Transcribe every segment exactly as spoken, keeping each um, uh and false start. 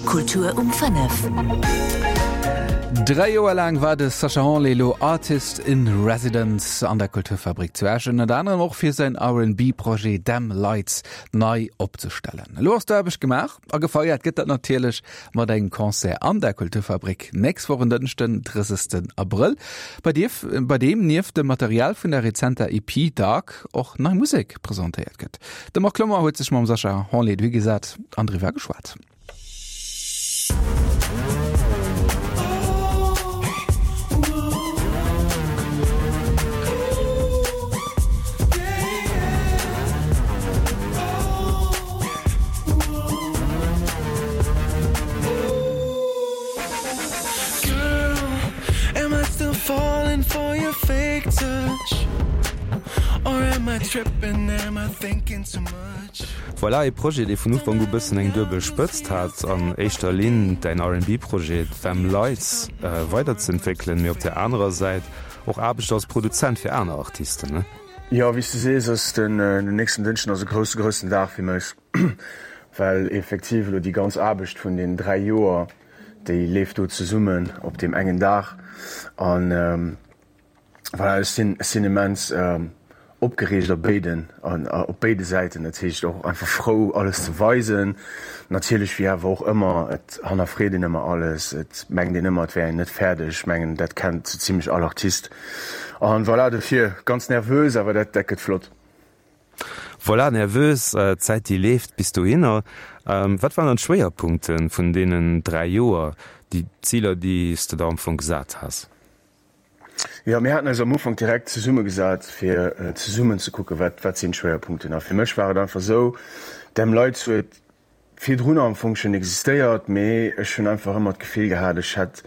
Kultur um fënnef. Dräi Joer laang war de Sacha Hanlé elo Artist in Residence an der Kulturfabrik zu Esch, ënnert anerem och fir säin R&B-Projet Dem Lights nei opzestellen. Elo ass d'Aarbecht gemaach a gefeiert gëtt dat natierlech mat engem Concert an der Kulturfabrik nächst Woch en Dënschden, drëssegsten Abrëll, bei dierf, bei deem nieft dem Material vun der rezenter E P Dark och nei Musek presentéiert gëtt. De Marc Clement huet sech mam Sacha Hanlé dohigesat an driwwer geschwat. Voilà ee Projet, dee vun Ufank u bëssen eng duebel Spëtzt hat, an éischter Linn däin R and B-Projet Them Lights weiderzëentwéckelen, mee op där anerer Säit och Aarbecht als Produzent fir aner Artisten, ne? Jo, wéi s de sees, ass den nächsten Dënschden ass e grousse, groussen Dag fir mech, well effektiv elo déi ganz Aarbecht vun den dräi Joer, déi leeft do zesummen op deem engen Dag. An voilà, ech sinn, ech sinn immens opgereegt op béiden, op béide Säiten. Dat heescht och einfach frou, alles ze weisen. Natierlech, wéi awer och ëmmer, et hannerfreet een ëmmer alles, et mengt een ëmmer, et wär een net fäerdeg. Ech mengen, dat kennt sou zimlech all Artist. An voilà, dofir ganz nervös, awer dat, dat gëtt flott. Voilà, nervös, d'Zäit déi leeft bis dohinner. Wat waren dann d'Schwéierpunkte vun deenen dräi Joer, déi Ziler, déi s de der am Fong gesat has? Jo, mir haten eis am Ufank direkt zesummegesat, fir zesummen ze kucken, wat, wat sinn d'Schwéierpunkten. A fir mech war et einfach esou, Dem Lights huet virdrun am Fong schonn existéiert, mee ech hunn einfach ëmmer d'Gefill gehat, ech hätt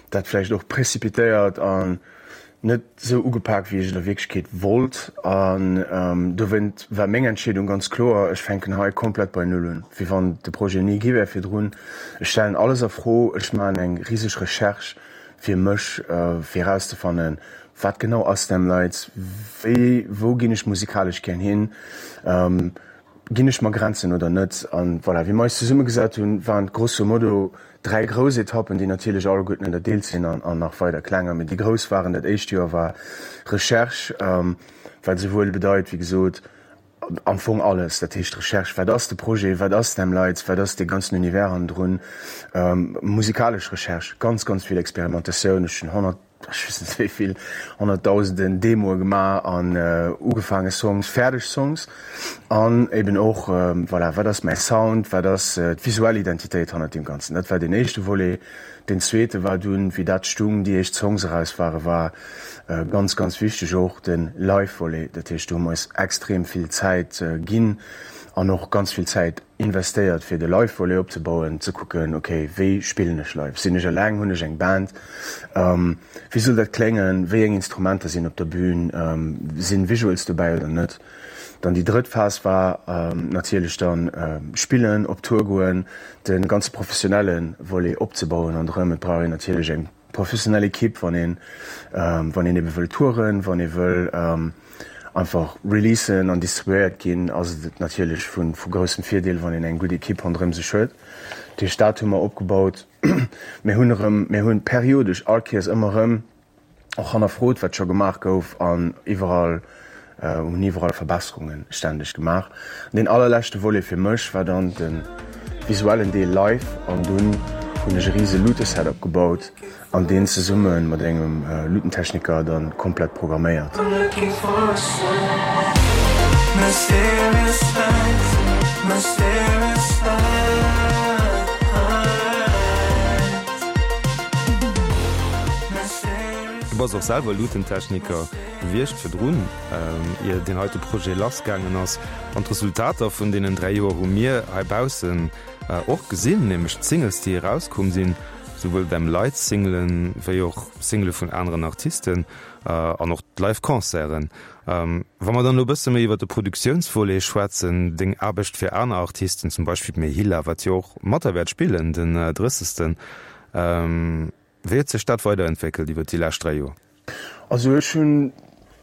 dat vläicht och précipitéiert an net esou ugepak, wéi ech et a Wierklechkeet wollt. An dowéint war meng Entscheedung ganz kloer, ech fänken hei komplett bei Null un, wéi wann de Projet ni gi wär virdrun. Ech stellen alles a Fro, ech maachen eng riseg Recherche fir mech, fir erauszefannen, wat genau ass Them Lights, wéi, wou ginn ech musikalesch gär hin, ginn ech mer Grenzen oder net. An voilà, wéi mer eis zesummegesat hunn, waren et grosso modo dräi grouss Etappen, déi natierlech alleguerten ënnerdeelt sinn an an nach weider klenger, mee déi grouss waren, dat éischt Joer war Recherche, wat esouwuel bedeit, wéi gesot, am Fong alles, dat heescht Recherche, wat ass de Projet, wat ass Them Lights, wat ass dee ganzen Univers hannendrun, musikalesch Recherche, ganz, ganz vill Experimentatioun. Ech hunn honnert, ech weess net wéi vill honnertdausenden Demoe gemaach an ugefaange Songs, fäerdeg Songs an eben och, voilà, wat ass mäi Sound, wat ass d'visuell Identitéit hannert deem Ganzen. Dat war deen éischte Volet. Deen zweete war dunn, wéi dat stung, déi éischt Songs eraus ware, war ganz, ganz wichteg och de Live-Volet. Dat heescht, do hu mer eis extrem vill Zäit ginn an och ganz vill Zäit investéiert, fir de Live-Volet opzebauen, ze kucken, ok, wéi spillen ech live? Sinn ech eleng? Hunn ech eng Band? Wéi soll dat kléngen? Wéi eng Instrumenter sinn op der Bühn? Sinn Visuals dobäi oder net? Dann déi drëtt Phas war natierlech dann spillen, op Tour goen, de ganze professionelle Volet opzebauen an erëm. Et brauch een natierlech eng professionell Ekipp, wann een, wann een ebe wëll touren, wann ee wëll einfach releasen an distribuéiert ginn, ass et natierlech vu vu groussem Virdeel, wann een eng gutt Ekipp ronderëm sech huet. Dat heescht, dat hu mer opgebaut. Mir hunn erëm, mir hunn periodesch all Kéiers ëmmer erëm och hannerfrot, wat scho gemaach gouf an iwwerall hunn iwwerall Verbesserunge stänneg gemaach. An deen allerleschte Volet fir mech war dann de visuellen Deel live an dunn hunn ech e rise Luute-Setup gebaut an deen zesumme mat engem Luutentechniker dann komplett programméiert. Du bass och selwer Luutentechniker gewiescht virdrun, ier deen heite Projet lassgaangen ass. An d'Resultater vun deenen dräi Joer hu mir heibaussen och gesinn, nämlech d'Singles, déi erauskomm sinn, souwuel Them Lights Singlen, wéi och Single vun aneren Artisten an och d'Live-Concerten. Wa mer dann elo e bësse méi iwwer de Produktiounsvolet schwätzen, deng Aarbecht fir aner Artisten, zum Beispill d'Mehila, wat jo och mat der wäert spillen den drëssegsten, wéi huet sech dat weiderentwéckelt iwwer déi lescht dräi Joer? Also ech hunn,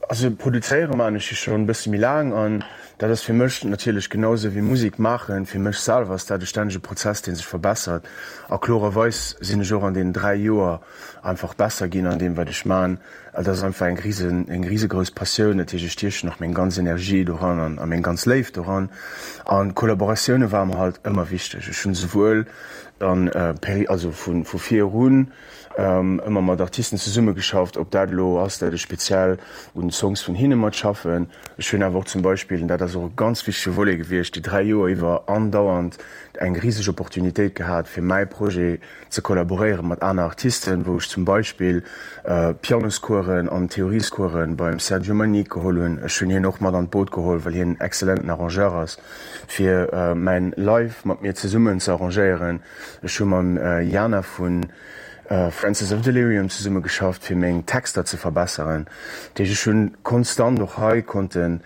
also produzéiere maan ech jo schonn e bësse méi laang an dat ass fir mech natierlech genau esou wéi Musek maachen, fir mech selwer ass dat e stännege Prozess, dee sech verbessert. A klorerweis sinn ech och an deenen dräi Joer einfach besser ginn an deem wat ech man. Et ass einfach eng risen, eng risegrouss Passioun, dat heescht ech stiechen och meng ganz Energie doran an a meng ganz Léift doran. An Kollaboratioune ware mer halt ëmmer wichteg. Ech hunn esouwuel dann peri, also vu vu virun ëmmer mat Artisten zesummegeschafft, ob dat elo ass, dat ech speziell un Songs vun hinne matschaffen. Ech hunn awer och zum Beispill, an dat ass och e ganz wichtege Volet gewiescht, déi dräi Joer iwwer andauernd eng riseg Opportunitéit gehat, fir mäi Projet ze kollaboréiere mat aner Artisten, wou ech zum Beispill Pianoscoursen an Theoriescoursen beim Sergio Manique geholl hunn. Ech hunn hien och mat an d'Boot geholl, well hien en exzellenten Arrangeur ass, fir mäin Live mat mir zesummen ze arrangéieren. Ech hu mam Jana vu Francis of Delirium zesumme geschafft, fir meng Texter ze verbesseren. Dat heescht, ech hunn konstant och hei konnte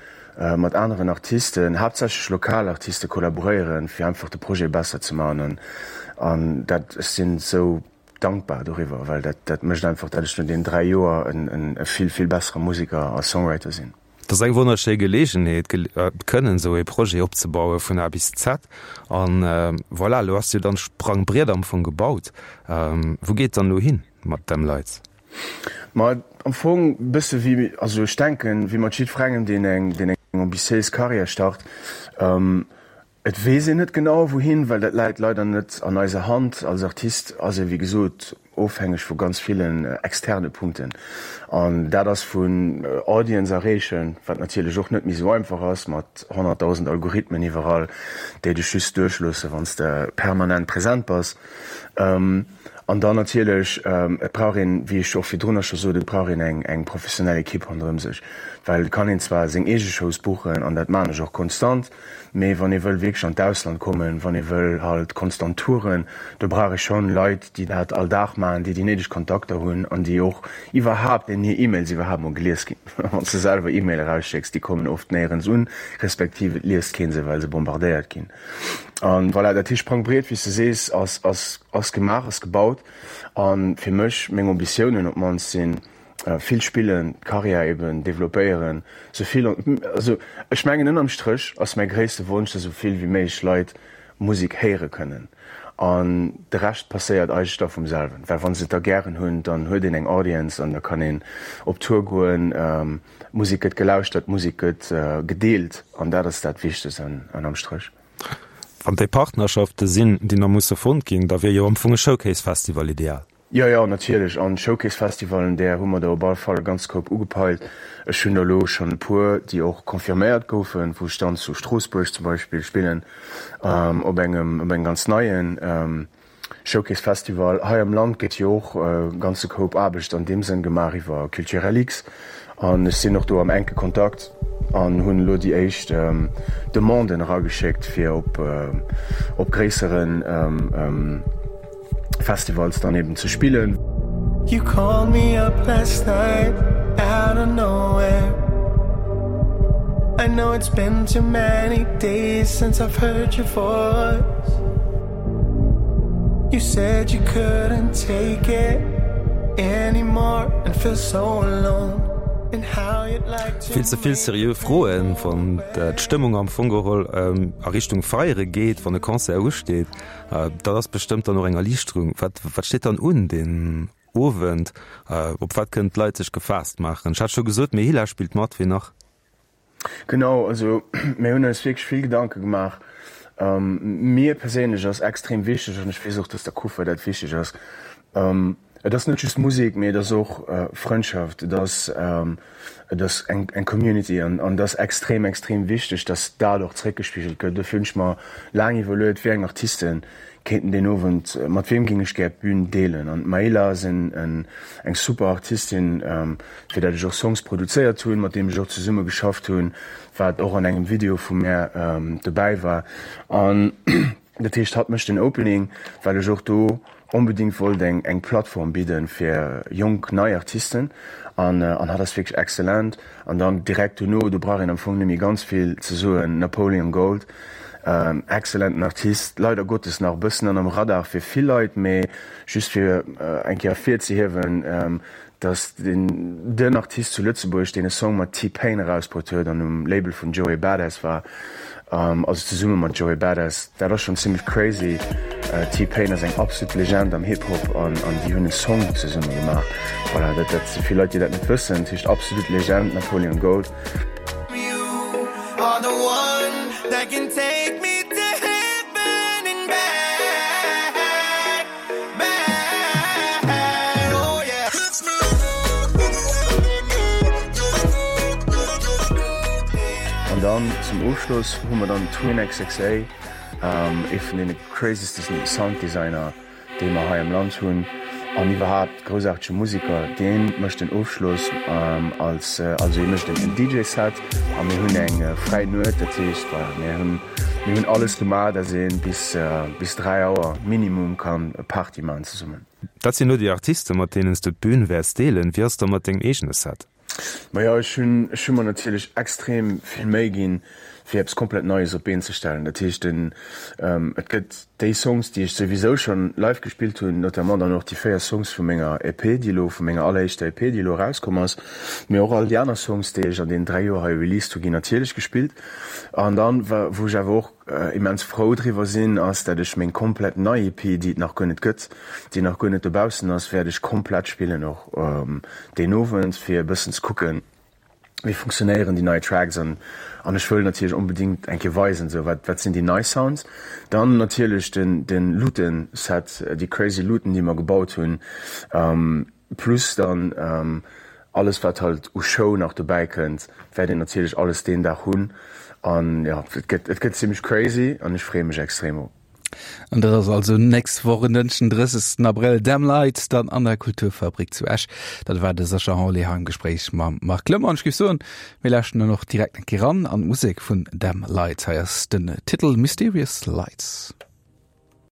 mat aneren Artisten, haaptsächlech lokal Artiste kollaboréieren, fir einfach de Projet besser ze maachen. An dat, ech sinn esou dankbar doriwwer, well dat, dat mécht einfach, dat ech no deenen dräi Joer en vill, vill bessere Museker a Songwriter sinn. Et ass eng wonnerschéi Geleegenheet, kënnen esou ee Projet opzebaue vun A bis Z. An voilà, elo ass jo dann d'Sprangbriet am Fong gebaut. Wou geet et dann elo hin mat Them Lights? Ma am Fong e bësse wéi, also ech denken, wéi mat jiddwerengem, deen eng, deen eng ambitiéis Karriär start, Et weess een net genau wouhin, well dat läit leider net an eiser Hand. Als Artist ass ee wéi gesot ofhängeg vu ganz villen externe Punkten. An dat ass vun Audience erreechen, wat natierlech och net méi esou einfach ass mat honnertdausend Algorithmen iwwerall, déi dech just duerchloosse wann s de permanent present bass. An dann natierlech, et brauch een, wéi ech och virdrunner scho sot, et brauch een eng eng professionell Ekipp ronderëm sech, well et kann een zwar seng eege Shows buchen, an dat maachen ech och konstant, mee wann ee wëll wierklech an d'Ausland kommen, wann ee wëll halt konstant touren, do brauch ee schonn Leit, déi dat all Dag maachen, déi déi néideg Kontakter hunn an déi och iwwerhaapt, deenen hir E-Mails iwwerhaapt mol gelies ginn. Wann s de selwer E-Mail erausschécks, déi kommen oft néierens un, respektiv et liest kee se, well se bombardéiert ginn. An voilà, dat heescht Sprangbriet, wéi s de sees, ass, ass, ass gemaach, ass gebaut. A fir mech, meng Ambitiounen op d'mannst sinn, vill spillen, d'Karriär eben developpéieren, sou vill, also ech mengen ënnerm Stréch ass mäi gréisste Wonsch, dass esou vill wéi méiglech Leit Musek héiere kënnen. An de Rescht passéiert eigentlech da vum selwen, well wa se et da gären hunn, dann huet een eng Audience an da kann een op Tour goen, d'Musek gëtt gelauschtert, d'Musek gëtt gedeelt an dat ass dat Wichtegst ënnerm Stréch. Wann déi Partnerschafte sinn, déi nach musse fonnt ginn, da wier jo am Fong e Showcase-Festival ideal. Jo, jo, natierlech. An Showcase-Festivalen, där hu mer der op alle Fall e ganze Koup ugepeilt. Ech hunn der elo schonn e puer, déi och confirméiert goufen, wou ech dann zu Stroossbuerg zum Beispill spillen, op engem, op engem ganz neien Showcase Festival. Hei am Land gëtt jo och e ganze Koup Aarbecht an deem Sënn gemaach iwwer Culturelix an ech sinn och do am enke Kontakt an hunn elo déi éischt Demanden erageschéckt fir op op gréissere Festivals dann eben ze spillen. You called me up last night out of nowhere I know it's been too many days since I've heard your voice You said you couldn't take it anymore and feel so alone and how you'd like to Vill ze vill seriö Froen, wann d'Stëmmung am Fong geholl a Richtung Feiere geet, wann e Concert usteet. Dat ass bestëmmt dann och eng Erliichterung. Wat, wat steet dann un deen Owend? Op wat kënnen d'Leit sech gefaasst maachen? Ech hat scho gesot, Mehila spillt mat, wien nach? Genau, also mir hunn eis wierklech vill Gedanke gemaach. Mir perséinlech ass extrem wichteg, an ech weess och, dass der Kufa dat wichteg ass, et ass net just Musek, mee et ass och Frëndschaft, et ass, et ass eng eng Community an an et ass extrem, extrem wichteg, dass dat och zréckgespigelt gëtt. Dofir hunn ech mer laang iwwerluet, wéi eng Artisten kéinten deen Owend, mat weem géing ech gär d'Bün deelen. An d'Maëla ass en eng super Artistin, fir dat ech och Songs produzéiert hunn, mat deem ech och zesumme geschafft hunn, wat och an engem Video vu mär dobäi war. An dat heescht, hatt mécht den Opening, well ech och do onbedéngt wollt eng eng Plattform bidden fir jonk, nei Artisten. An an hatt ass wierklech excellent. An dann direkt dono, do brauch een am Fong net méi ganz vill ze soen, Napoleon Gold, Excellenten Artist, leider Gottes nach e bëssen ënnerm Radar fir vill Leit, mee just fir eng Kéier ervirzehiewen, dass den den Artist zu Lëtzebuerg, deen e Song mat T-Pain erausbruet huet an um Label vun Joey Badass war, also zesumme mat Joey Badass, dat ass schonn zimmlech crazy. T-Pain ass eng absolut Legend am Hip-Hop an an déi hunn e Song zesumme gemaach. Voilà, dat dat si vill Leit, déi dat net wëssen. Dat heescht absolut Legend, Napoleon Gold. An dann zum Ofschloss hu mer dann Twin X X A, ee vun deene crazyste Sounddesigner, déi mer hei am Land hunn an iwwerhaapt groussaartege Musiker. Dee mécht den Ofschloss als, also hie mécht en D J-Set a mir hunn eng fräi Nuet. Dat heescht, voilà, mir hunn, mir hunn alles gemaach, dass ee bis, bis dräi Auer minimum kann Party maachen zesummen. Dat sinn elo déi Artisten, mat deenen s du d'Bün wäerts deelen. Wéi ass et da mat dengem eegene Set? Majo, ech hunn, ech hu mer natierlech extrem vill Méi ginn, fir eppes komplett Neies op d'Been ze stellen. Dat heescht, den, et gëtt déi Songs, déi ech souwisou schonn live gespillt hunn, notamment dann och déi véier Songs vu menger E P, déi elo, vu menger alleréischter E P, déi elo erauskomm ass, mee och all déi aner Songs, déi ech an deenen dräi Joer hei released hu, ginn natierlech gespillt. An dann, wou ech awer och immens frou driwwer sinn, ass, dat ech meng komplett nei E P, déi et nach guer net gëtt, déi nach guer net dobaussen ass, wäert ech komplett spillen och deen Owend, fir e bëssen ze kucken, wéi funktionéieren déi nei Tracks an an ech wëll natierlech onbedéngt eng Kéier weisen, esou wat wat sinn déi nei Sounds. Dann natierlech den den Luuten-Set, déi crazy Luuten, déi mer gebaut hunn, plus dann alles wat halt u Show nach dobäi kënnt, wäert een natierlech alles deen Dag hunn an jo, et gëtt et gëtt zimmlech crazy an ech freeë mech extrem op. An dat ass also nächst Woch en Dënschden, drëssegsten Abrëll, Dem Lights dann an der Kulturfabrik zu Esch. Dat war de Sascha Henlé hei am Gespréich mam Marc Clement. An ech géif soen, mir lauschten dann och direkt eng Kéier eran an d'Musek vun Dem Lights. Hei ass den Titel Mysterious Lights.